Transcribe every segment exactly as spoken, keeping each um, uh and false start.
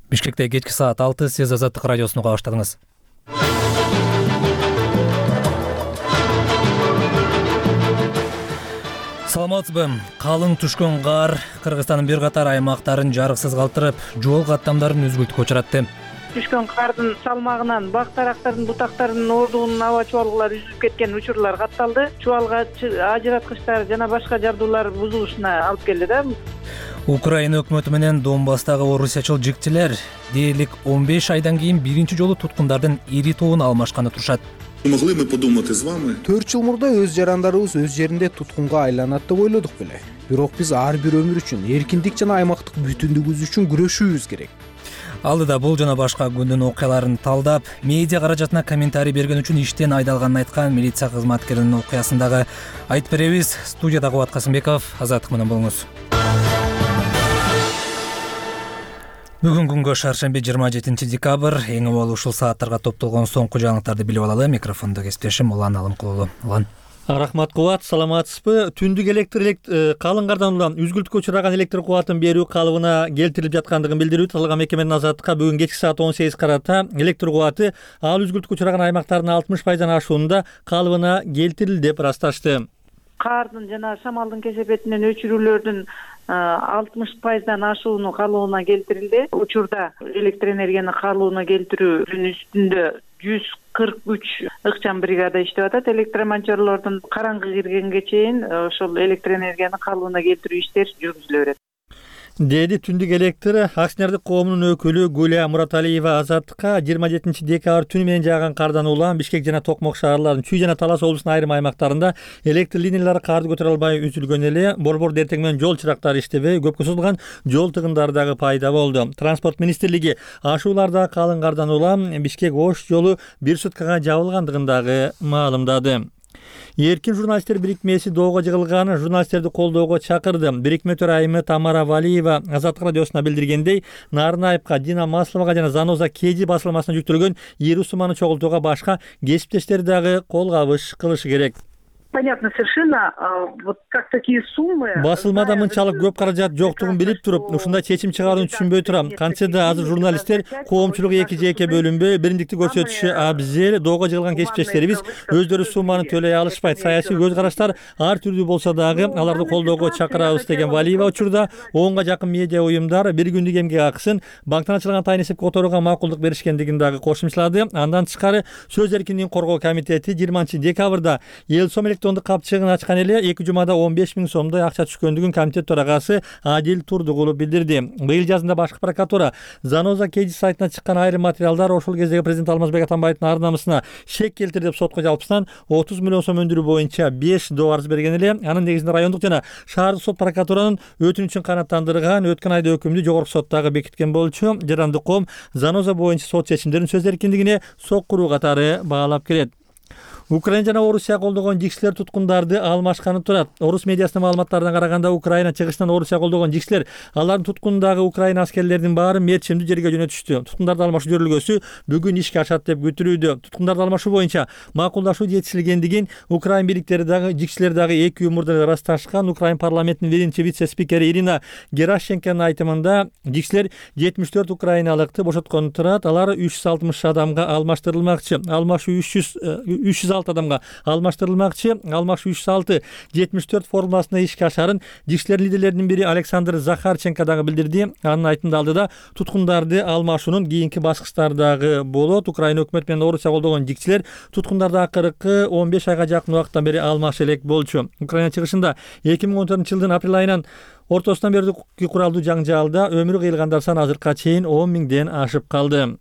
Бишкекте кечки саат алты, сиз Азаттык радиосуну уга баштадыңыз. Саламатсызбы? Калың түшкөн кар Кыргызстандын бир катар аймактарын жарыксыз калтырып, жол каттамдарын үзгүлтүккө учуратты. Түшкөн кардын салмагынан бак дарактардын бутактарынын ордугунун аба чубалгылары үзүлүп кеткен учурлар катталды. Чубалга ажыраткычтар жана башка жабдуулар бузулушуна алып келди да. Украина өкмөтү менен Донбасстагы орусиячыл жигчилер дээрлик он беш айдан кийин биринчи жолу туткундардын ири тобун алмашканы турушат. Могли мы подумать с вами? төрт жыл мурда өз жарандарыбыз өз жеринде туткунга айланат деп ойлодук беле. Бирок биз ар бир өмүр үчүн, эркиндик жана аймактык бүтүндүгүбүз үчүн күрөшүүбүз керек. Алдыда бул жана башка күндүн окуяларын талдап, медиа каражатына комментарий берген үчүн иштен айдалганын айткан милиция кызматкеринин окуясындагы айтып беребиз. Студияда Кубат Касымбеков, Азаттык менен болуңуз. Бүгүн күнгө шаршемби жыйырма жетинчи декабрь, эң абал ушул сааттарга топтолгон соңку жаңылыктарды билип алалы. Микрофондо кесиптешим Улан Алымкулуу. Улан. Рахмат Кубат, саламатсызбы? Түндүк электр калың кардан улам үзгүлтүккө учураган электр кубатын берүү калыбына келтирилип жаткандыгын билдирүү аталган мекеменин Азаттыкка бүгүн кечки саат он сегиз карата электр кубаты ал үзгүлтүккө учураган аймактардын алтымыш пайыздан ашуунда калыбына келтирилди деп ырасташты. Кардын жана шамалдын кесепетинен өчүрүүлөрдүн алтымыш пайыздан ашууну калыбына келтирилди. Учурда электр энергияны калыбына келтирүүнүн үстүндө жүз кырк үч ыкчам бригада иштеп атат. Электромонтёрлордун караңгы киргенге чейин ошол электр энергияны калыбына келтирүү иштери жүргүзүлө берет, деди Түндүк электр акционердик коомунун өкүлү Гүлия Мураталиева Азаттыкка. жыйырма жетинчи декабрь түнү менен жааган кардан улам Бишкек жана Токмок шаарларынын Чүй жана Талас облусунун айрым аймактарында электр линиялары карды көтөрө албай үзүлгөн эле. Борбор дертең менен жол чырактары иштебей, көпкө созулган жол тыгындары дагы пайда болду. Транспорт министрлиги ашууларда калың кардан улам Бишкек Ош жолу бир суткага жабылгандыгын дагы маалымдады. Эркин журналисттер бирикмеси доого жыгылган, журналисттерди колдоого чакырды. Бирикме төрайымы Тамара Валиева Азаттык радиосуна билдиргендей, Нарынаевка, Дина Масловага жана Заноза Кеди басылмасына жүктөлгөн ири сумманы чогултууга башка кесиптештер дагы кол кабыш кылышы керек. Понятно совершенно, вот как такие суммы. Басылмада мынчалык көп каражат жоктугун билип туруп, ушундай чечим чыгарууну түшүнбөй турам. Кантсе да азыр журналисттер коомчулук эки жеке бөлүнбөй, бириндикти көрсөтүшү абзел. Доого жыгылган кесиптештерибиз өздөрү сумманы төлөй алышпайт. Саясий көз караштар ар түрдүү болсо дагы аларды колдоого чакырабыз деген Валиева учурда онго жакын медиа уюмдар бир күндүк эмгек акысын банктан ачылган тайын эсепке которууга макулдук беришкендигин дагы кошумчалады. Андан тышкары Сөз эркиндигин коргоо комитети жыйырманчы декабрда эл сом электрондук капчыгын ачкан эле эки жумада он беш миң сомдой акча түшкөндүгүн комитет төрагасы Адил Турдугулов билдирди. Быйыл жазында башкы прокуратура Заноза Кеди сайтына чыккан айрым материалдар ошол кездеги президент Алмазбек Атамбаевдин ар намысына шек келтирди деп сотко жалпысынан отуз миллион сом өндүрүү боюнча беш доо арыз берген эле. Анын негизинде райондук жана шаардык сот прокуратуранын өтүнүчүн канааттандырган, өткөн айда өкүмдү жогорку соттагы бекиткен болчу. Жарандык коом Заноза боюнча сот чечимдерин сөз эркиндигине соккуруу катары баалап келет. Украина жана Орусия колдогон жигчилер туткундарды алмашканы турат. Орус медиасынын маалыматтарына караганда, Украина чыгышынан Орусия колдогон жигчилер алардын туткунундагы Украина аскерлеринин баарын мерчимдүү жерге жөнөтүштү. Туткундарды алмашуу жөрүлгөсү бүгүн ишке ашат деп күтүлүүдө. Туткундарды алмашуу боюнча макулдашуу жетишилгендигин Украина бириктери дагы жигчилер дагы эки күн мурда ырасташкан. Украина парламентинин биринчи вице-спикери Ирина Геращенконун айтымында жигчилер жетимиш төрт украиналыкты бошотконун турат. Алар үч жүз алтымыш адамга алмаштырылмакчы. Алмашуу үч жүз алты адамга алмаштырылмакчы. Алмашуу үч жүз алты жетимиш төрт формуласына ишке ашарын жигчилер лидерлеринин бири Александр Захарченко дагы билдирди. Анын айтымында алдыда туткундарды алмашуунун кийинки баскычтардагы болот. Украина өкмөтү менен Орусия колдогон жигчилер туткундарды акыркы он беш айга жакын убакыттан бери алмаша элек болчу. Украина чыгышында эки миң он төртүнчү жылдын апрель айынан ортосунан берүүгө куралдуу жаңжалда өмүрү кыйылгандар саны азыркыга чейин он миңден ашып калды.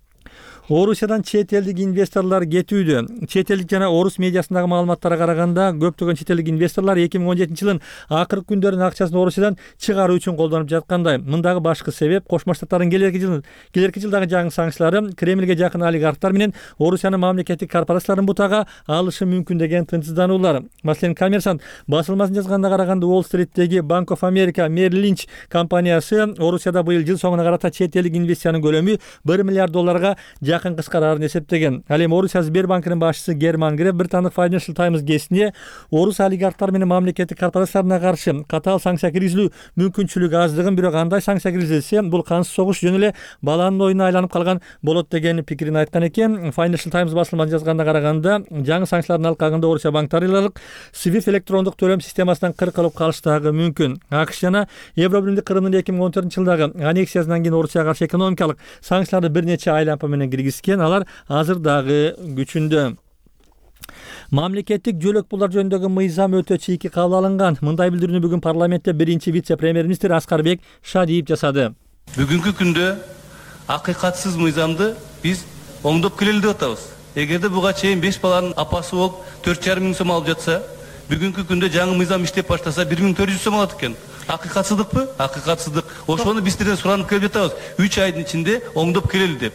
Орусиядан чет элдик инвесторлор кетүүдө. Чет элдик жана орус медиасындагы маалыматтарга караганда, көптөгөн чет элдик инвесторлор эки миң он жетинчи жылдын акыркы күндөрүнүн акчасын Орусиядан чыгаруу үчүн колдонуп жаткандай. Мындагы башкы себеп Кошмо Штаттардын келерки жыл келерки жылдагы жаңы санкциялары Кремлге жакын олигархтар менен Орусиянын мамлекеттик корпорацияларын бутага алышы мүмкүн деген тынчсыздануулар. Маселен, Коммерсант басылмасын жазганда караганда, Уолл-стриттеги Bank of America Merrill Lynch компаниясы Орусияда быйыл жыл соңуна карата чет элдик инвестициянын көлөмү бир миллиард долларга жакын кыскарарын эсептеген. Ал эми Орусия Сбербанкынын башчысы Герман Греф Британдык Financial Times гезитине орус олигархтары менен мамлекеттик корпорацияларына каршы катаал санкция киргизилүү мүмкүнчүлүгү аздыгын, бирок андай санкция киргизилсе бул кансыз согуш жөн эле баланын оюна айланып калган болот деген пикирин айткан экен. Financial Times басылмасына жазганына караганда, жаңы санкциялардын алкагында Орусия банктарылык Swift электрондук төлөм системасынан кыркылып калыштагы мүмкүн. АКШ жана Евробиримдик Кырымдын эки миң он төртүнчү жылдагы аннексиясынан кийин Орусияга каршы экономикалык санкцияларды бир нече айлампа менен киргизген. Алар азыр дагы күчүндө. Мамлекеттик жөлөк пулдар жөнүндөгү мыйзам өтө чийки кабыл алынган. Мындай билдирүүнү бүгүн парламентте биринчи вице-премьер-министр Аскарбек Шадиев жасады. Бүгүнкү күндө акыйкатсыз мыйзамды биз оңдоп келели деп атабыз. Эгерде буга чейин беш баланын апасы болуп төрт жарым миң сом алып жатса, бүгүнкү күндө жаңы мыйзам иштеп баштаса бир миң төрт жүз сом алат экен. Акыйкатсыздыкпы? Акыйкатсыздык. Ошону биз сиздерден суранып келип жатабыз. үч айдын ичинде оңдоп келели деп.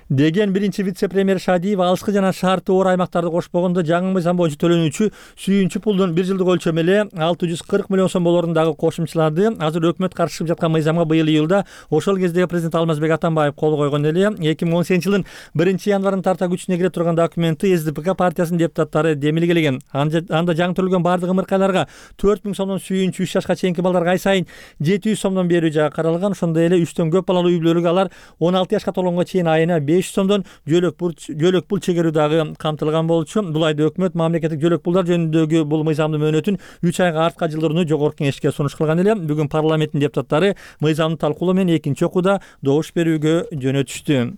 Деген биринчи вице-премьер Шадиев алыскы жана шарты оор аймактарды кошпогондо жаңы мыйзам боюнча төлөнүүчү сүйүнчү пулдун бир жылдык өлчөмү эле алты жүз кырк миллион сом болоорун дагы кошумчалады. Азыр өкмөт каршылашып жаткан мыйзамга быйыл июлда ошол кездеги президент Алмазбек Атамбаев кол койгон эле. эки миң он сегизинчи жылдын биринчи январынан тарта күчүнө кире турган документти эс ди пи ка партиясынын депутаттары демилгелеген. Анда жаңы төлгөн бардык ымыркайларга төрт миң сомдон сүйүнчү үч жашка чейинки балдарга ай сайын жети жүз сомдон берүү жагы каралган. Ошондой эле үчтөн көп балалуу үй бүлөлүккө алар он алты жашка толгонго чейин айына беш жүз сомдон жөлөк пул жөлөк пул чегерүү дагы камтылган болчу. Бул айда өкмөт мамлекеттик жөлөк пулдар жөнүндөгү бул мыйзамдын мөөнөтүн үч айга артка жылдырууну жогорку кеңешке сунуш кылган эле. Бүгүн парламенттин депутаттары мыйзамды талкуулоо менен экинчи окууда добуш берүүгө жөнөтүштү.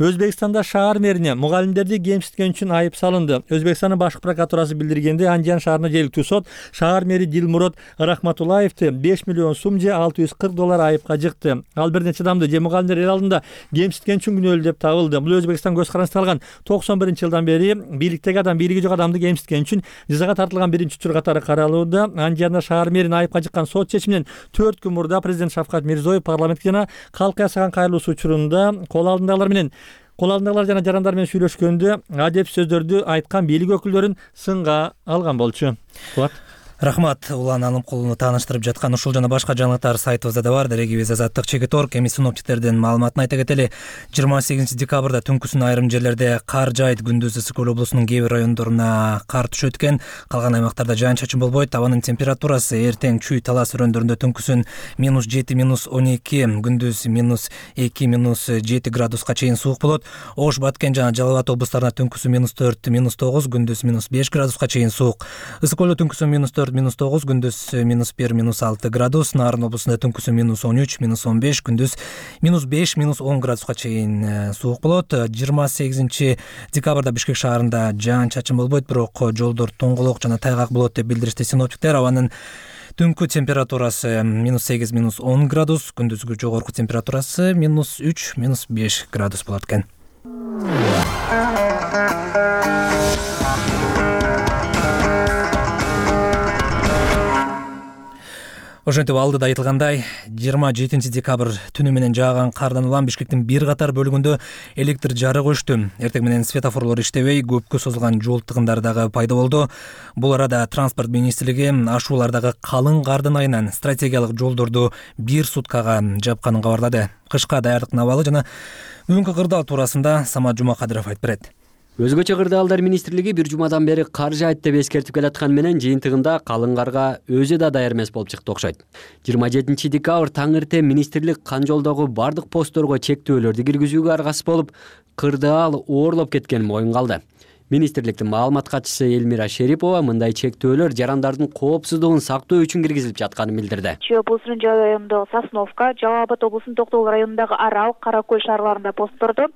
Өзбекстанда шаар мэрине мугалимдерди кемситкен үчүн айып салынды. Өзбекстандын башкы прокуратурасы билдиргенде, Андижан шаарына жергиликтүү сот шаар мэри Дилмурод Рахматуллаевди беш миллион сум же алты жүз кырк доллар айыпка жыкты. Ал бир нече адамды же мугалимдер эл алдында кемситкен үчүн күнөөлүү деп табылды. Бул Өзбекстан көз карандысына алган токсон биринчи жылдан бери бийликтеги адам бийлиги жок адамды кемситкен үчүн жазага тартылган биринчи учур катары каралууда. Андижанда шаар мэрин айыпка жыккан сот чечиминен төрт күн мурда президент Шавкат Мирзиёев парламентке жана калкка ясаган кайрылуусу учурунда кол алдындагылар менен кол алдындагылар жана жарандар менен сүйлөшкөндө адеп сөздөрдү айткан бийлик өкүлдөрүн сынга алган болчу. Рахмат. Улан Алымкулууну тааныштырып жаткан ушул жана башка жаңылыктар сайтыбызда да бар. Дарегибиз Азаттык чекит орг. Эми синоптиктердин маалыматын айта кетели. жыйырма сегизинчи декабрда түнкүсүн айрым жерлерде кар жаайт. Күндүз ысык көл облусунун кээ бир райондоруна кар түшөт экен. Калган аймактарда жаан чачын болбойт. Абанын температурасы эртең Чүй Талас өрөөндөрүндө түнкүсүн минус жети минус он эки, күндүз минус эки минус жети градуска чейин суук болот. Ош, Баткен жана Жалал Абад облустарында түнкүсү минус төрт минус тогуз, күндүз минус беш градуска чейин суук. Ысык көлдө түнкүсү минус төрт минус тогуз, күндүз минус бир минус алты градус. Нарын облусунда түнкүсү минус он үч минус он беш, күндүз минус беш минус он градуска чейин суук болот. жыйырма сегизинчи декабрда Бишкек шаарында жаан чачын болбойт, бирок жолдор тоңголок жана тайгак болот деп билдиришти синоптиктер. Абанын түнкү температурасы минус сегиз минус он градус, күндүзгү жогорку температурасы минус үч минус беш градус болот экен. Ошентип алдыда айтылгандай, жыйырма жетинчи декабрь түнү менен жааган кардан улам Бишкектин бир катар бөлүгүндө электр жарык өчтү. Эртең менен светофорлор иштебей, көпкө созулган жол тыгындары дагы пайда болду. Бул арада транспорт министрлиги ашуулардагы калың кардын айынан стратегиялык жолдорду бир суткага жапканын кабарлады. Кышка даярдыктын абалы жана бүгүнкү кырдаал туурасында Самат Жумакадыров айтып берет. Өзгөчө кырдаалдар министрлиги бир жумадан бери кар жаайт деп эскертип келаткан менен жыйынтыгында калың карга өзү да даяр эмес болуп чыкты окшойт. жыйырма жетинчи декабрь таң эртең министрлик кан жолдогу бардык постторго чектөөлөрдү киргизүүгө аргасыз болуп, кырдаал оорлоп кеткенин моюнга алды. Министрликтин маалымат катчысы Элмира Шерипова мындай чектөөлөр жарандардын коопсуздугун сактоо үчүн киргизилип жатканын билдирди. Чүй облусунун районундагы Сосновка, Жалал Абад облусунун Токтогул районундагы Арал, Каракөл шаарларында постторду,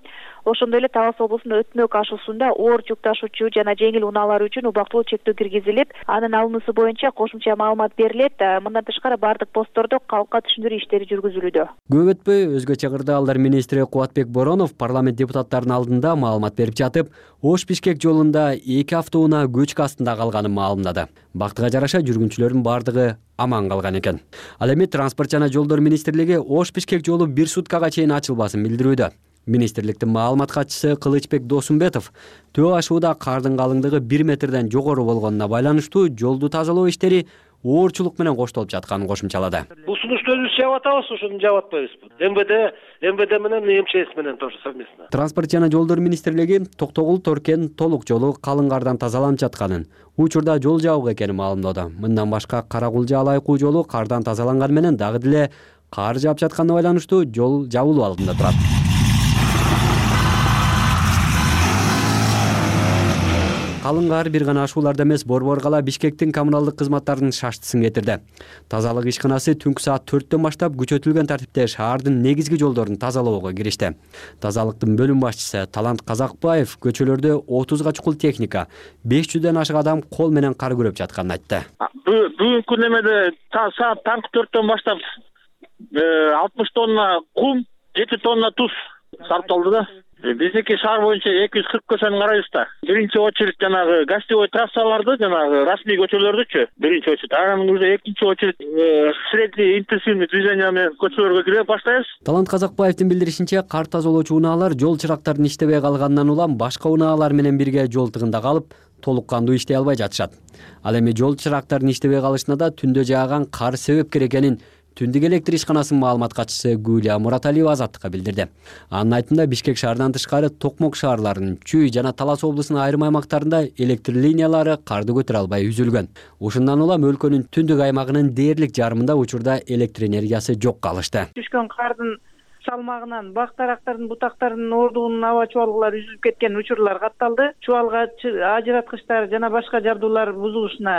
ошондой эле Талас облусунун Өтмөк ашуусунда оор жүк ташуучу жана жеңил унаалар үчүн убактылуу чектөө киргизилип, анын алынуусу боюнча кошумча маалымат берилет. Мындан тышкары бардык посттордо калкка түшүндүрүү иштери жүргүзүлүүдө. Көп өтпөй өзгөчө кырдаалдар министри Кубатбек Боронов парламент депутаттарынын алдында маалымат берип жатып, Ош Бишкек жолунда эки автоунаа көчкү астында калганын маалымдады. Бактыга жараша жүргүнчүлөрдүн бардыгы аман калган экен. Ал эми транспорт жана жолдор министрлиги Ош Бишкек жолу бир суткага чейин ачылбасын билдирүүдө. Министрликтин маалымат катчысы Кылычбек Досумбетов төө ашууда кардын калыңдыгы бир метрден жогору болгонуна байланыштуу жолду тазалоо иштери оорчулук менен коштолуп жатканын кошумчалады. Бул сунушту өзүбүз жаап атабыз, ошону жаап атпайбызбы? МВД, МВД менен МЧС менен тоже совместно. Транспорт жана жолдор министрлиги Токтогул Торкен толук жолу калың кардан тазаланып жатканын, учурда жол жабык экенин маалымдады. Мындан башка Каракулжа Алайкуу жолу кардан тазаланган менен дагы деле кар жаап жатканына байланыштуу жол жабылуу алдында турат. Калың кар бир гана ашууларда эмес, Борбор кала Бишкектин коммуналдык кызматтарынын шаштысын кетирди. Тазалык ишканасы түнкү саат төрттөн баштап күчөтүлгөн тартипте шаардын негизги жолдорун тазалоого киришти. Тазалыктын бөлүм башчысы Талант Казакбаев көчөлөрдө отузга чукул техника, беш жүздөн ашык адам кол менен кар күрөп жатканын айтты. Бүгүнкү немеде саат таңкы төрттөн баштап алтымыш тонна кум, жети тонна туз сарпталды да. Биздики шаар боюнча эки жүз кырк көчөнү карайбыз да. Биринчи очередь жанагы гостевой трассаларды, жанагы расмий көчөлөрдүчү биринчи очередь. Анан уже экинчи очередь средний интенсивный движение менен көчөлөргө кире баштайбыз. Талант Казакбаевдин билдиришинче, кар тазалоочу унаалар жол чырактарын иштебей калгандан улам башка унаалар менен бирге жол тыгында калып, толук кандуу иштей албай жатышат. Ал эми жол чырактарын иштебей калышына да түндө жааган кар себепкер экенин Түндүк электр ишканасынын маалымат катчысы Гүлия Мураталиева Азаттыкка билдирди. Анын айтымында Бишкек шаарынан тышкары Токмок шаарларынын Чүй жана Талас облусунун айрым аймактарында электр линиялары карды көтөрө албай үзүлгөн. Ушундан улам өлкөнүн түндүк аймагынын дээрлик жарымында учурда электр энергиясы жок калышты. Түшкөн кардын салмагынан бак дарактардын бутактарынын ордугунун аба чубалгылары үзүлүп кеткен учурлар катталды. Чубалга ажыраткычтар жана башка жабдуулар бузулушуна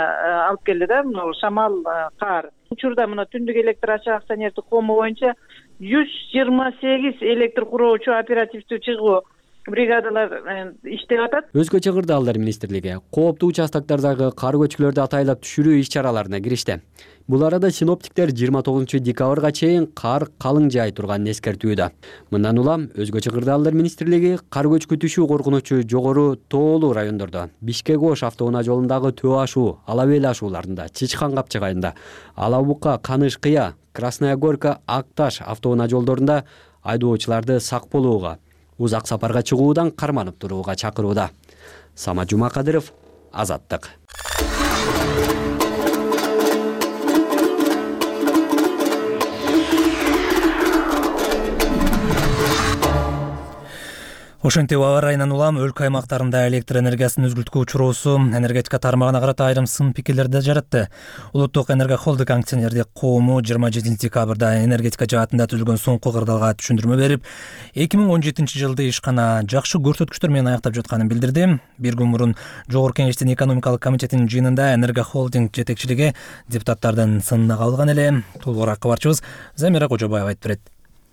алып келди да, мына шамал, кар. Учурда мына түндүк электр ачык акционердик кому боюнча жүз жыйырма сегиз электр куроочу оперативдүү чыгуу бригадалар иштеп атат. Өзгөчө Кырдаалдар министрлиги кооптуу участоктардагы кар көчкүлөрдү атайлап түшүрүү иш-чараларына киришти. Бул арада синоптиктер жыйырма тогузунчу декабрга чейин кар калың жаай турганын эскертүүдө. Мындан улам Өзгөчө Кырдаалдар министрлиги кар көчкү түшүү коркунучу жогору тоолуу райондордо, Бишкек-Ош автоунаа жолундагы Төө ашуу, Ала Бел ашууларында, Чычкан капчыгайында, Ала Бука, Каныш кыя, Красная Горка, Акташ автоунаа жолдорунда айдоочуларды сак болууга, узак сапарга чыгуудан карманып турууга чакырууда. Самат Жумакадыров, Азаттык. Ошентип аба ырайынан улам өлкө аймактарында электр энергиясын үзгүлтүүгө учуроосу энергетика тармагына карата айрым сын пикирлерди жаратты. Улуттук энерго холдинг акционердик коому жыйырма жетинчи декабрда энергетика жаатында түзүлгөн соңку кырдаалга түшүндүрмө берип, эки миң он жетинчи жылды ишкана жакшы көрсөткүчтөр менен аяктап жатканын билдирди. Бир күн мурун Жогорку Кеңештин экономикалык комитетинин жыйынында энерго холдинг жетекчилиги депутаттардын сынына кабылган эле. Толугураак кабарчыбыз Замира Кожобаева айтып берет.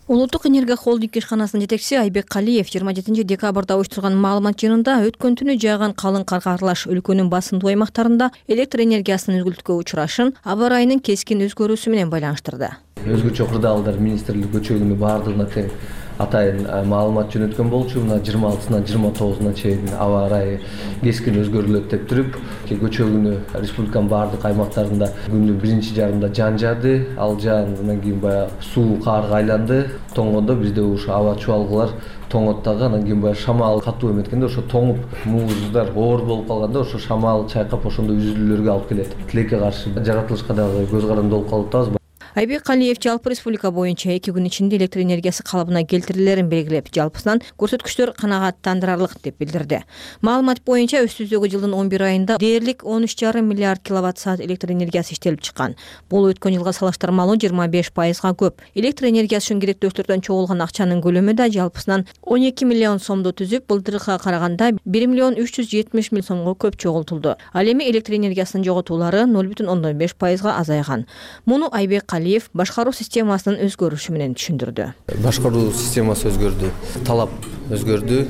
Улуттук энерго холдинг ишканасынын жетекчиси Айбек Калиев жыйырма жетинчи декабрда уюштурган маалымат жыйынында өткөн түнү жааган калың карга аралаш өлкөнүн басымдуу аймактарында электр энергиясынын үзгүлтүүгө учурашын аба ырайынын кескин өзгөрүүсү менен байланыштырды. Өзгөчө Кырдаалдар министрлиги көчөгүнү баардыгына тең атайын маалымат жөнөткөн болчу. Мына жыйырма алтысынан жыйырма тогузуна чейин аба ырайы кескин өзгөрүлөт деп туруп, көчөгүнү республиканын баардык аймактарында күндүн биринчи жарымында жан жаады. Ал жаан андан кийин баягы суу карга айланды. Тоңгондо бизде ушу аба чубалгылар тоңот дагы, анан кийин баягы шамал катуу эметкенде ошо тоңуп муздудар оор болуп калганда ошо шамал чайкап ошондой үзүлүүлөргө алып келет. Тилекке каршы жаратылышка дагы көз каранды болуп калып атабыз. Айбек Калиев жалпы республика боюнча эки күн ичинде электр энергиясы калыбына келтирилерин белгилеп, жалпысынан көрсөткүчтөр канааттандырарлык деп билдирди. Маалымат боюнча өстүздөгү жылдын он бир айында дээрлик он үч жарым миллиард киловатт саат электр энергиясы иштелип чыккан. Бул өткөн жылга салыштырмалуу жыйырма беш пайызга көп. Электр энергиясы үчүн керектөөчүлөрдөн чогулган акчанын көлөмү да жалпысынан он эки миллион сомду түзүп, былтыркыга караганда бир миллион үч жүз жетимиш миң сомго көп чогултулду. Ал эми электр энергиясынын жоготуулары ноль бүтүн ондон беш пайызга азайган. Муну Айбек Калиев башкаруу системасынын өзгөрүшү менен түшүндүрдү. Башкаруу системасы өзгөрдү, талап өзгөрдү,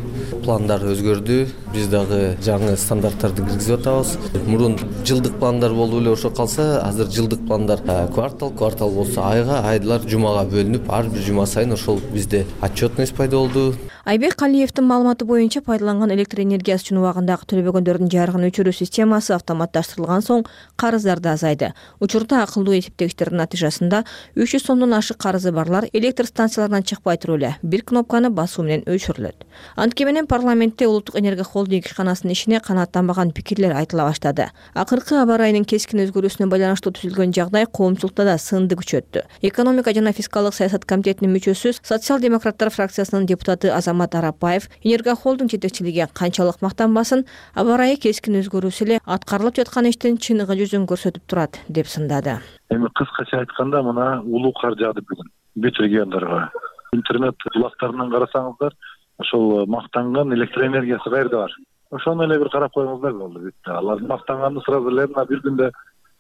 пландар өзгөрдү. Биз дагы жаңы стандарттарды киргизип атабыз. Мурун жылдык пландар болуп эле ошо калса, азыр жылдык пландар квартал, квартал болсо айга, айлар жумага бөлүнүп, ар бир жума сайын ошол бизде отчетность пайда болду. Айбек Калиевдин маалыматы боюнча пайдаланган электр энергиясы үчүн убагындагы төлөбөгөндөрдүн жарыгын өчүрүү системасы автоматташтырылган соң карыздар да азайды. Учурда акылдуу эсептегичтердин натыйжасында үч жүз сомдон ашык карызы барлар электр станцияларынан чыкпай туруп эле бир кнопканы басуу менен өчүрүлөт. көрсөтүлөт. Антке менен парламентте улуттук энергия холдинг ишканасынын ишине канааттанбаган пикирлер айтыла баштады. Акыркы аба ырайынын кескин өзгөрүүсүнө байланыштуу түзүлгөн жагдай коомчулукта да сынды күчөттү. Экономика жана фискалдык саясат комитетинин мүчөсү, социал-демократтар фракциясынын депутаты Азамат Арапаев энергия холдинг жетекчилиги канчалык мактанбасын, аба ырайы кескин өзгөрүүсү эле аткарылып жаткан иштин чыныгы жүзүн көрсөтүп турат деп сындады. Эми кыскача айтканда мына улуу кар жаады бүгүн бүт региондорго. Интернет булактарынан карасаңыздар, ошол мактанган электр энергиясы каерде бар? Ошону эле бир карап коюңуздар болду. Алар мактанганды сразу эле мына бир күндө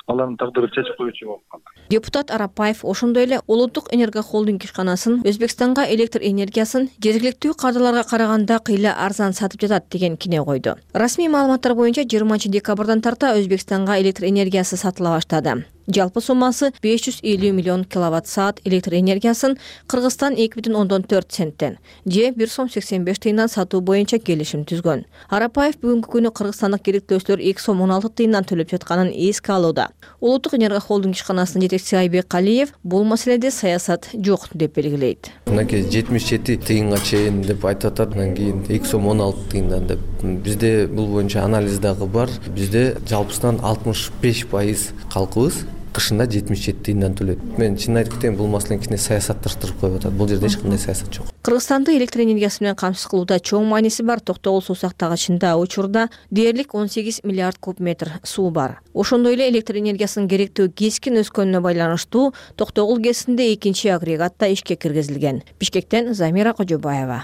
алардын тагдырын чечип коючу болуп калды. Депутат Арапаев ошондой эле улуттук энергия холдинг ишканасын Өзбекстанга электр энергиясын жергиликтүү кардарларга караганда кыйла арзан сатып жатат деген кине койду. Расмий маалыматтар боюнча жыйырманчы декабрдан тарта Өзбекстанга электр энергиясы сатыла баштады. Жалпы суммасы беш жүз элүү миллион киловатт саат электр энергиясын Кыргызстан эки бүтүн ондон төрт центтен же бир сом сексен беш тыйындан сатуу боюнча келишим түзгөн. Арапаев бүгүнкү күнү кыргызстандык керектөөчүлөр эки сом он алты тыйындан төлөп жатканын эске алууда. Улуттук энергия холдинг ишканасынын жетекчиси Айбек Калиев бул маселеде саясат жок деп белгилейт. Мынакей жетимиш жети тыйынга чейин деп айтып атат, анан кийин эки сом он алты тыйындан деп. Бизде бул боюнча анализ дагы бар. Бизде жалпысынан алтымыш беш пайыз калкыбыз кышында жетимиш жети тыйындан төлөйт. Мен чын айтып кетейин, бул маселени кичине саясатташтырып коюп атат. Бул жерде эч кандай саясат жок. Кыргызстанды электр энергиясы менен камсыз кылууда чоң мааниси бар Токтогул суу сактагычында учурда дээрлик он сегиз миллиард куб метр суу бар. Ошондой эле электр энергиясынын керектөө кескин өскөнүнө байланыштуу Токтогул ГЭСинде экинчи агрегатта ишке киргизилген. Бишкектен Замира Кожобаева.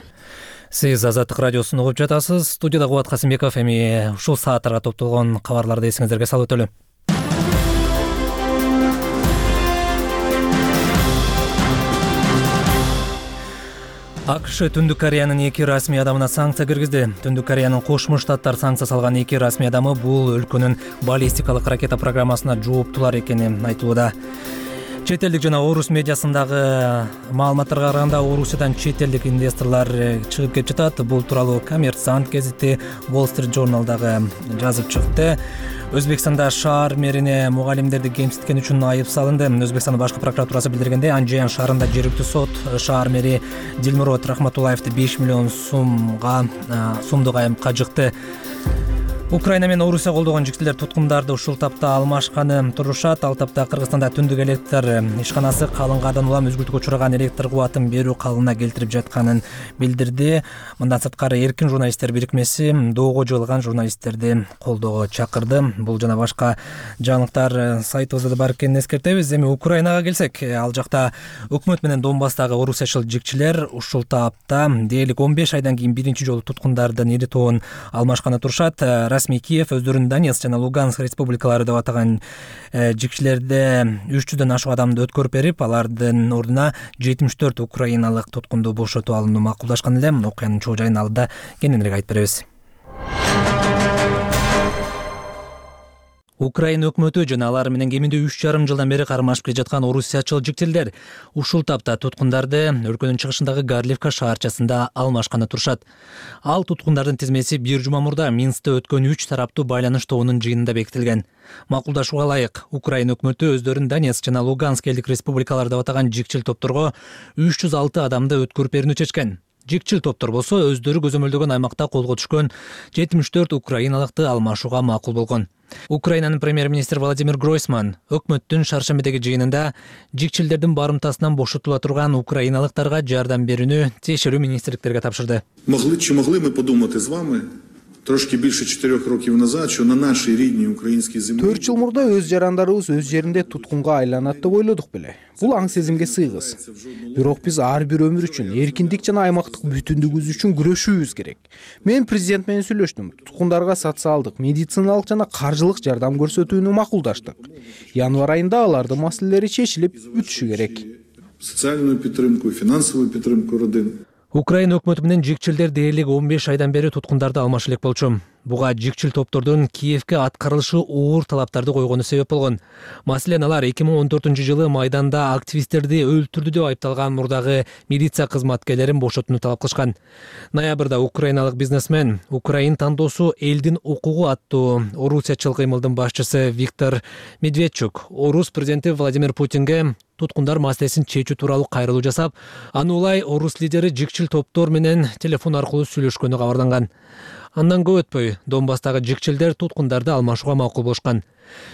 Сиз Азаттык радиосун угуп жатасыз. Студияда Кубат Касымбеков. Эми ушул сааттарга топтолгон кабарларды эсиңиздерге салып өтөлү. АКШ Түндүк Кореянын эки расмий адамына санкция киргизди. Түндүк Кореянын Кошмо Штаттар санкция салган эки расмий адамы бул өлкөнүн баллистикалык ракета программасына жооптулар экени айтылууда. Чет элдик жана орус медиасындагы маалыматтарга караганда Орусиядан чет элдик инвесторлор чыгып кетип жатат. Бул тууралуу Коммерсант гезити, Wall Street Journal дагы жазып чыкты. Өзбекстанда шаар мэрине мугалимдерди кемситкен үчүн айып салынды. Өзбекстандын башкы прокуратурасы билдиргендей, Анжеян шаарында жергиликтүү сот шаар мэри Дилмурод Рахматуллаевди беш миллион сумга сумдук айыпка жыкты. Украина менен Орусия колдогон жигчилер туткундарды ушул тапта алмашканы турушат. Ал тапта Кыргызстанда түндүк электр ишканасы калың кардан улам үзгүлтүккө учураган электр кубатын берүү калыбына келтирип жатканын билдирди. Мындан сырткары Эркин журналисттер бирикмеси доого жыгылган журналисттерди колдоого чакырды. Бул жана башка жаңылыктар сайтыбызда да бар экенин эскертебиз. Эми Украинага келсек, ал жакта өкмөт менен Донбасстагы орусиячыл жигчилер ушул тапта дээрлик он беш айдан кийин биринчи жолу туткундардын ири тобун алмашканы турушат. Расмий Киев өздөрүн Донецк жана Луганск республикалары деп атаган жигчилерде үч жүздөн ашык адамды өткөрүп берип, алардын ордуна жетимиш төрт украиналык туткунду бошотуп алууну макулдашкан эле. Окуянын чоо жайын алда кененирээк айтып беребиз. Украина өкмөтү жана алар менен кеминде үч жарым жылдан бери кармашып келе жаткан орусиячыл жигчилер ушул тапта туткундарды өлкөнүн чыгышындагы Гарливка шаарчасында алмашканы турушат. Ал туткундардын тизмеси бир жума мурда Минскте өткөн үч тараптуу байланыш тобунун жыйынында бекитилген. Макулдашууга ылайык, Украина өкмөтү өздөрүн Донецк жана Луганск элдик республикалары деп атаган жигчил топторго үч жүз алты адамды өткөрүп берүүнү чечкен. Жигчил топтор болсо өздөрү көзөмөлдөгөн аймакта колго түшкөн жетимиш төрт украиналыкты алмашууга макул болгон. Украинанын премьер-министри Владимир Гройсман өкмөттүн шаршембидеги жыйынында жигчилдердин барымтасынан бошотула турган украиналыктарга жардам берүүнү тиешелүү министрликтерге тапшырды. Могли чи могли ми подумати з вами трошки більше чотирьох років назад, що на нашій рідній українській землі төрт жыл мурда өз жарандарыбыз өз жеринде туткунга айланат деп ойлодук беле. Бул аң сезимге сыйгыз. Бирок биз ар бир өмүр үчүн, эркиндик жана аймактык бүтүндүгүбүз үчүн күрөшүүбүз керек. Мен президент менен сүйлөштүм. Туткундарга социалдык, медициналык жана каржылык жардам көрсөтүүнү макулдаштык. Январь айында алардын маселелери чечилип бүтүшү керек. Социальную підтримку, фінансову підтримку родин. Украина өкмөтү менен жигчилдер дээрлик он беш айдан бери туткундарды алмашы элек болчу. Буга жикчил топтордун Киевке аткарылышы оор талаптарды койгону себеп болгон. Маселен, алар эки миң он төртүнчү жылы Майданда активисттерди өлтүрдү деп айыпталган мурдагы милиция кызматкерлерин бошотууну талап кылышкан. Ноябрда украиналык бизнесмен Украин тандоосу элдин укугу аттуу орусиячыл кыймылдын башчысы Виктор Медведчук орус президенти Владимир Путинге туткундар маселесин чечүү тууралуу кайрылуу жасап, аны улай орус лидери жикчил топтор менен телефон аркылуу сүйлөшкөнү кабарланган. Андан көп өтпөй Донбасстагы жикчилдер туткундарды алмашууга макул болушкан.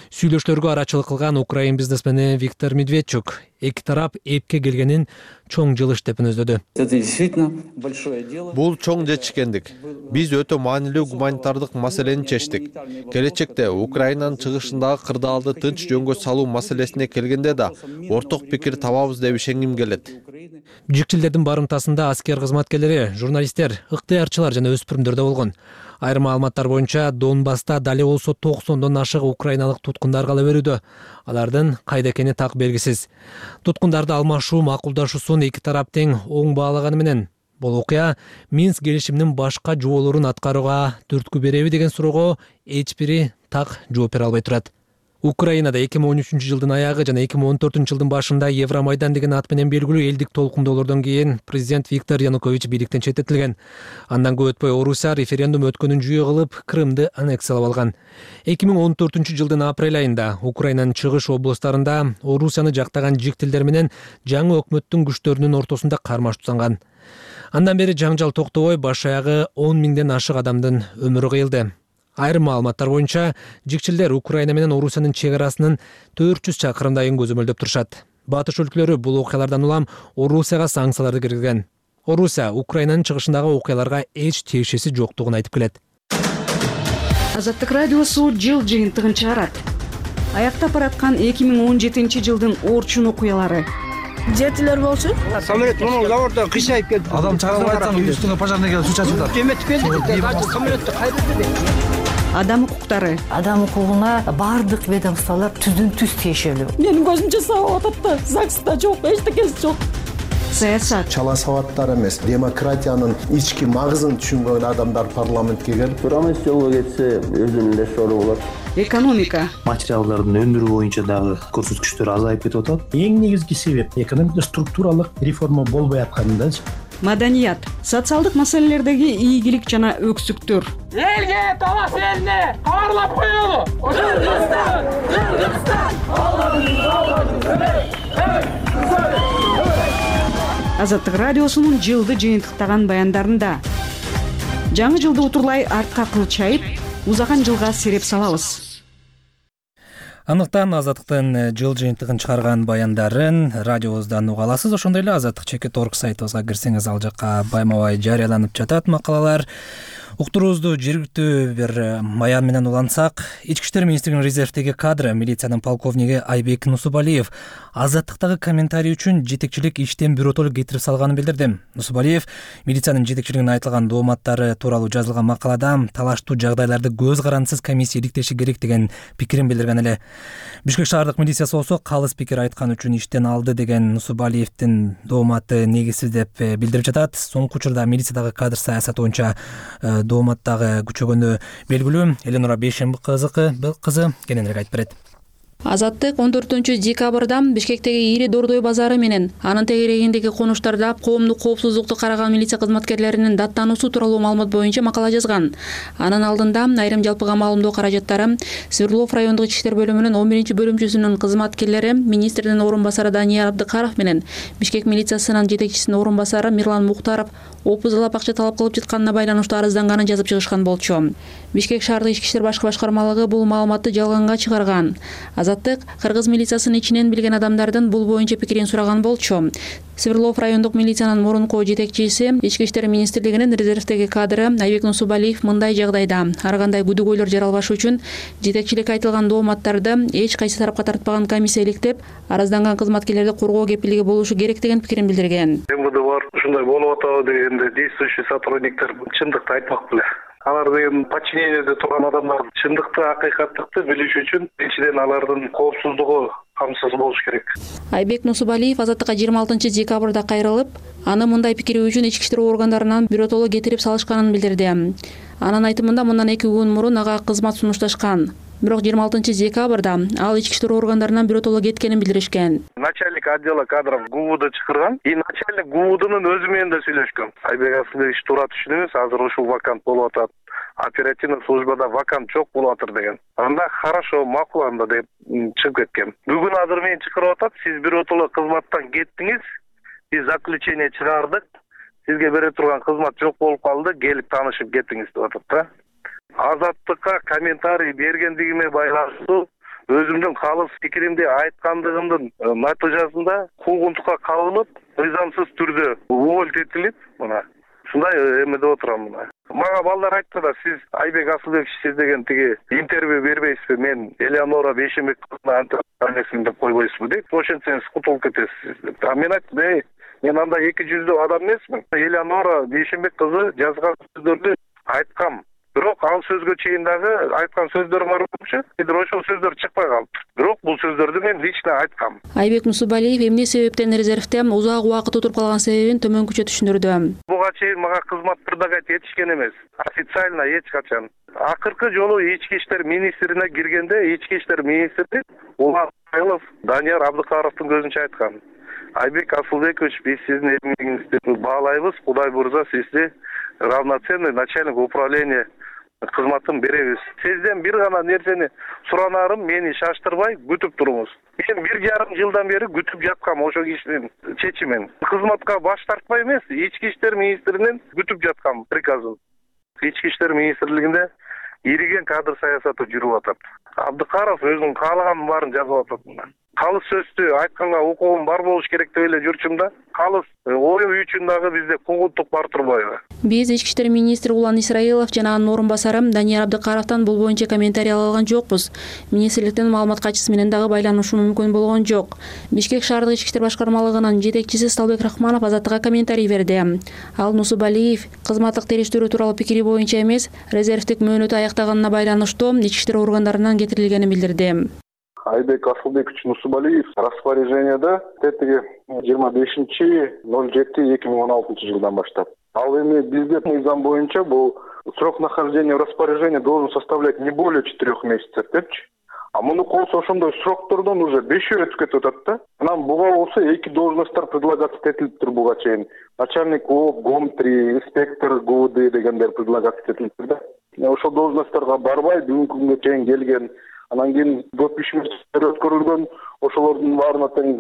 Сүйлөшүүлөргө арачылык кылган украин бизнесмени Виктор Медведчук эки тарап эпке келгенин чоң жылыш деп мүнөздөдү. Бул чоң жетишкендик. Биз өтө маанилүү гуманитардык маселени чечтик. Келечекте Украинанын чыгышындагы кырдаалды тынч жөнгө салуу маселесине келгенде да орток пикир табабыз деп ишенгим келет. Жикчилдердин барымтасында аскер кызматкерлери, журналисттер, ыктыярчылар жана өспүрүмдөр да болгон. Айрым маалыматтар боюнча Донбасста дали болсо токсондон ашык украиналык туткундар кала берүүдө. Алардын кайда экени так белгисиз. Туткундарды алмашуу макулдашуусун эки тарап тең оң баалаганы менен бул окуя Минск келишиминин башка жоболорун аткарууга түрткү береби деген суроого эч бири так жооп бере албай турат. Украинада эки миң он үчүнчү жылдын аягы жана эки миң он төртүнчү жылдын башында Евромайдан деген ат менен белгилүү элдик толкундоолордон кийин президент Виктор Янукович бийликтен четтетилген. Андан көп өтпөй Орусия референдум өткөнүн жүйө кылып Крымды аннексиялап алган. эки миң он төртүнчү жылдын апрель айында Украинанын чыгыш облустарында Орусияны жактаган жиктилдер менен жаңы өкмөттүн күчтөрүнүн ортосунда кармаш тутанган. Андан бери жаңжал токтобой баш аягы он миңден ашык адамдын өмүрү кыйылды. Айрым маалыматтар боюнча жикчилдер Украина менен Орусиянын чек арасынын төрт жүз чакырымдайын көзөмөлдөп турушат. Батыш өлкөлөрү бул окуялардан улам Орусияга санкцияларды киргизген. Орусия Украинанын чыгышындагы окуяларга эч тиешеси жоктугун айтып келет. Азаттык радиосу жыл жыйынтыгын чыгарат. Аяктап бараткан эки миң он жетинчи жылдын орчун окуялары. Жетилер болчу. Самолет мына заводдон кышайып келди. Адам чыгарып айтсаң үстүңө пожарный келип суу чачып атат. Эметип келди. Самолетти кайда берди? Адам укуктары. Адам укугуна бардык ведомстволор түздүн түз тиешелүү. Менин көзүмчө сабап атат да, ЗАГСта жок, эчтекеси жок. Саясат. Чала сабаттар эмес, демократиянын ички магызын түшүнгөн адамдар парламентке келип, Рамес жолго кетсе өзүнүн эле сору болот. Экономика. Материалдардын өндүрүү боюнча дагы көрсөткүчтөр азайып кетип атат. Эң негизги себеп экономикада структуралык реформа болбой атканындачы. Маданият. Социалдык маселелердеги ийгилик жана өксүктөр. Элге талас элине кабарлап коелу. Кыргызстан, Кыргызстан, Азаттык радиосунун жылды жыйынтыктаган баяндарында жаңы жылды утурлай артка кылчайып, узаган жылга сереп салабыз. Андыктан Азаттыктын жыл жыйынтыгын чыгарган баяндарын радиобуздан уга аласыз. Ошондой эле азаттык чекит точка орг сайтыбызга кирсеңиз ал жакка байма-бай жарыяланып жатат макалалар. Уктуруубузду жергиликтүү бир баян менен улантсак, Ички иштер министринин резервдеги кадры милициянын полковниги Айбек Нусубалиев Азаттыктагы комментарий үчүн жетекчилик иштен биротолук кетирип салганын билдирди. Нусубалиев милициянын жетекчилигине айтылган дооматтары тууралуу жазылган макалада талаштуу жагдайларды көз карандысыз комиссия иликтеши керек деген пикирин билдирген эле. Бишкек шаардык милициясы болсо калыс пикир айткан үчүн иштен алды деген Нусубалиевдин дооматы негизсиз деп билдирип жатат. Соңку учурда милициядагы кадр саясаты боюнча дооматтагы күчөгөнү белгилүү. Эленора Бейшемби кызы кененирээк айтып берет. Азаттык он төртүнчү декабрда Бишкектеги Ири Дордой базары менен анын тегерегиндеги конуштарда коомдук коопсуздукту караган милиция кызматкерлеринин даттануусу тууралуу маалымат боюнча макала жазган. Анын алдында айрым жалпыга маалымдоо каражаттары Свердлов райондук ички иштер бөлүмүнүн он биринчи бөлүмчүсүнүн кызматкерлери министрдин орун басары Данияр Абдыкаров менен Бишкек милициясынын жетекчисинин орун басары Мирлан Мухтаров опузалап акча талап кылып жатканына байланыштуу арызданганын жазып чыгышкан болчу. Бишкек шаардык ички иштер башкы башкармалыгы бул маалыматты жалганга чыгарган. Азаттык кыргыз милициясынын ичинен билген адамдардын бул боюнча пикирин сураган болчу. Свердлов райондук милициянын мурунку жетекчиси Ички иштер министрлигинин резервдеги кадры Айбек Нусубалиев мындай жагдайда ар кандай күдүгөйлөр жаралбаш үчүн жетекчилик айтылган дооматтарды эч кайсы тарапка тартпаган комиссия иликтеп, арызданган кызматкерлерди коргоо кепилиги болушу керек деген пикирин билдирген. МВД бар, ушундай болуп атабы дегенде действующий сотрудниктер чындыкты айтмак беле. Алар деген подчинениеде турган адамдар чындыкты, акыйкаттыкты билиш үчүн биринчиден алардын коопсуздугу камсыз болуш керек. Айбек Нусубалиев Азаттыкка жыйырма алтынчы декабрда кайрылып, аны мындай пикири үчүн ички иштер органдарынан биротоло кетирип салышканын билдирди. Анын айтымында мындан эки күн мурун ага кызмат сунушташкан. Бирок жыйырма алтынчы декабрда ал ички иштер органдарынан биротоло кеткенин билдиришкен. Начальник отдела кадров ГУВД чакырган, и начальник ГУВДнын өзү менен да сүйлөшкөн. Айбек Асылбекович туура түшүнүңүз, азыр ушул вакант болуп атат. Оперативный службада вакант жок болуп атыр деген. Анда хорошо, макул анда деп чыгып кеткен. Бүгүн азыр мени чакырып атат, сиз биротоло кызматтан кеттиңиз, биз заключение чыгардык, сизге бере турган кызмат жок болуп калды, келип таанышып кетиңиз деп атат да. Азаттыкка комментарий бергендигиме байланыштуу өзүмдүн калыс пикиримди айткандыгымдын натыйжасында куугунтукка кабылып, мыйзамсыз түрдө уволить этилип, мына ушундай эмеде отурам мына. Мага балдар айтты да, сиз Айбек Асылбекович сиз деген тиги интервью бербейсизби, мен Элеонора Бейшенбек кызына антиармиясын деп койбойсузбу деп, ошентсеңиз кутулуп кетесиз деп. А мен айттым, эй, мен анда эки жүздүү адам эмесмин. Элеонора Бейшенбек кызы жазган сөздөрдү айткам. Бирок ал сөзгө чейин дагы айткан сөздөрүм бар болчу. Бирок ошол сөздөр чыкпай калды. Бирок бул сөздөрдү мен лично айткам. Айбек Нусубалиев эмне себептен резервде узак убакыт отуруп калган себебин төмөнкүчө түшүндүрдү. Буга чейин мага кызмат предлагать этишкен эмес. Официально эч качан. Акыркы жолу ички иштер министрине киргенде ички иштер министри Улан Айлов Данияр Абдыкаровдун көзүнчө айткан. Айбек Асылбекович, биз сиздин эмгегиңизди баалайбыз. Кудай буйрса, сизди равноценный начальник управления кызматын беребиз. Сизден бир гана нерсени суранарым, мени шаштырбай күтүп туруңуз. Мен бир жарым жылдан бери күтүп жаткам ошо кишинин чечимин. Кызматка баш тартпай эмес, ички иштер министринин күтүп жаткам приказын. Ички иштер министрлигинде ириген кадр саясаты жүрүп атат. Абдыкаров өзүнүн каалаганын баарын жазып атат. Калыс сөздү айтканга укугум бар болуш керек деп эле жүрчүм да. Калыс ою үчүн дагы бизде куугунтук бар турбайбы? Биз ички иштер министри Улан Исраилов жана анын орун басары Данияр Абдыкаровдон бул боюнча комментарий ала алган жокпуз. Министрликтин маалымат катчысы менен дагы байланышуу мүмкүн болгон жок. Бишкек шаардык ички иштер башкармалыгынын жетекчиси Сталбек Рахманов Азаттыкка комментарий берди. Ал Нусубалиев кызматтык териштирүү тууралуу пикири боюнча эмес, резервдик мөөнөтү аяктаганына байланыштуу ички иштер органдарынан кетирилгенин билдирди. Айбек Асылбекович Нусубалиев распоряжениеде тетиги жыйырма бешинчи ноль жети эки миң он алтынчы жылдан баштап. Ал эми бизде мыйзам боюнча бул срок нахождения в распоряжении должен составлять не более четырех месяцев депчи. А муну болсо ошондой сроктордон уже бешөө өтүп кетип атат да. Анан буга болсо эки должносттор предлагаться этилиптир буга чейин. Начальник ООП, ГОМ три, инспектор ГУВД дегендер предлагаться этилиптир да. Ошол должностторго барбай бүгүнкү күнгө чейин келген. Анан кийин көп ишмер өткөрүлгөн, ошолордун баарына тең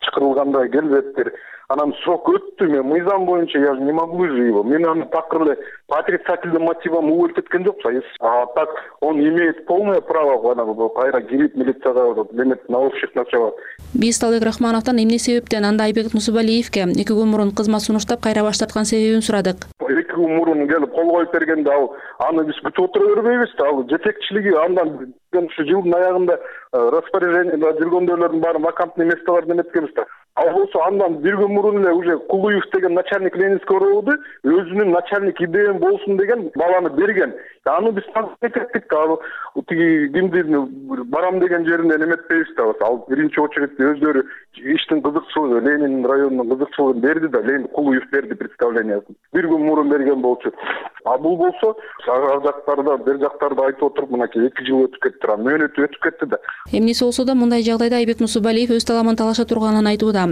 чакырылганда келбептир. Анан срок өттү, мен мыйзам боюнча я не могу же его. Мен аны такыр эле по отрицательным мотивам уволить эткен жокпу. А так он имеет полное право ана кайра кирип милицияга деметип на общих началах. Биз Сталбек Рахмановдон эмне себептен анда Айбек Нусубалиевке эки күн мурун кызмат сунуштап кайра баш тарткан себебин сурадык. Эки күн мурун келип кол коюп бергенде ал аны биз күтүп отура бербейбиз да. Ал жетекчилиги андан ушу жылдын аягында распоряжениеде жүргөндөрдүн баары вакантный местолор неметкенбиз да. Ал болсо андан бир күн мурун эле уже Кулуев деген начальник Ленинский РОВД өзүнүн начальник идеям болсун деген баланы берген. Аны биз тактик ал тиги кимди барам деген жеринде неметпейбиз да. Ал биринчи очередте өздөрү иштин кызыкчылыгы, Ленин районунун кызыкчылыгын берди да, Ленин Кулуев берди представлениясын. Бир күн мурун берген болчу. А бул болсо ар жактарда, бер жактарда айтып отуруп, мынакей эки жыл өтүп кетти, мөөнөтү өтүп кетти да. Эмнеси болсо да мындай жагдайда Айбек Нусубалиев өз таламын талаша турганын айтууда.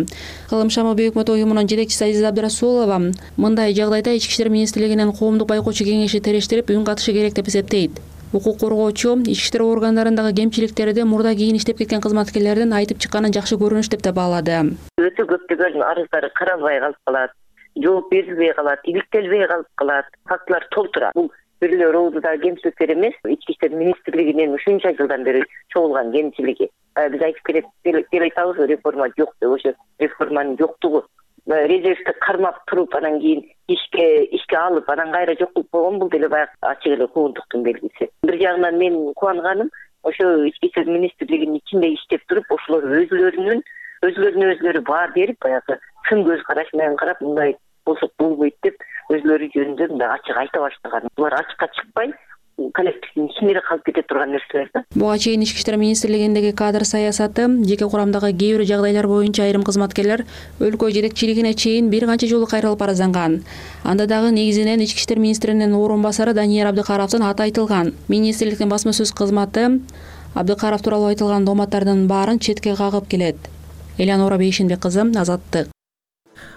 Кылым Шама Бейөкмөт уюмунун жетекчиси Азиза Абдрасулова мындай жагдайда ички иштер министрлигинин коомдук байкоочу кеңеши терештирип үн катышы керек деп эсептейт. Укук коргоочу ички иштер органдарындагы кемчиликтерди мурда кийин иштеп кеткен кызматкерлердин айтып чыкканын жакшы көрүнүш деп да баалады. Өтө көптөгөн арыздары каралбай калып калат, жооп берилбей калат, иликтелбей калып калат, фактылар толтура. Бул бир эле РОВДдагы кемчиликтер эмес, ички иштер министрлигинин ушунча жылдан бери чогулган кемчилиги. Биз айтып келет деп айтабыз, реформа жок деп, ошо реформанын жоктугу. Резервди кармап туруп, анан кийин ишке ишке алып, анан кайра жок кылып койгон, бул деле баягы ачык эле куугунтуктун белгиси. Бир жагынан мен кубанганым, ошо ички иштер министрлигинин ичинде иштеп туруп, ошолор өзлөрүнүн өзлөрүнө өзлөрү баар берип, баягы сын көз караш менен карап, мындай болсок болбойт деп өзлөрү жөнүндө мындай ачык айта баштаган. Булар ачыкка чыкпай, коллективдин ичинде калып кете турган нерселер да. Буга чейин Ички иштер министрлигиндеги кадр саясаты, жеке курамдагы кээ бир жагдайлар боюнча айрым кызматкерлер өлкө жетекчилигине чейин бир канча жолу кайрылып арызданган. Анда дагы негизинен Ички иштер министринин орун басары Данияр Абдыкаровдун аты айтылган. Министрликтин басма сөз кызматы Абдыкаров тууралуу айтылган дооматтардын баарын четке кагып келет. Элеонора Бейшенбек кызы, Азаттык.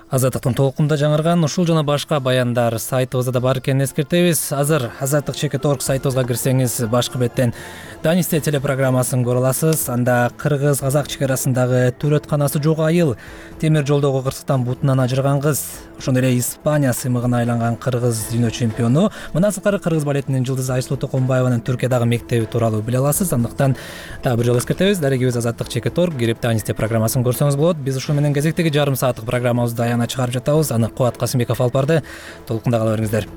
Азаттыктын толкунда жаңырган ушул жана башка баяндар сайтыбызда да бар экенин эскертебиз. Азыр азаттык чекит точка орг сайтыбызга кирсеңиз башкы беттен Данисте телепрограммасын көрө аласыз. Анда кыргыз-казак чек арасындагы төрөтканасы жок айыл, темир жолдогу кырсыктан бутунан ажыраган кыз, ошондой эле Испания сыймыгына айланган кыргыз дүйнө чемпиону, мындан сырткары кыргыз балетинин жылдызы Айсулуу Токомбаеванын Түркиядагы мектеби тууралуу биле аласыз. Андыктан дагы бир жолу эскертебиз, дарегибиз азаттык чекит точка орг кирип Данисте программасын көрсөңүз болот. Биз ушул менен кезектеги жарым сааттык программабызды аяна чыгарып жатабыз. Аны Кубат Касымбеков алып барды. Толкунда кала бериңиздер.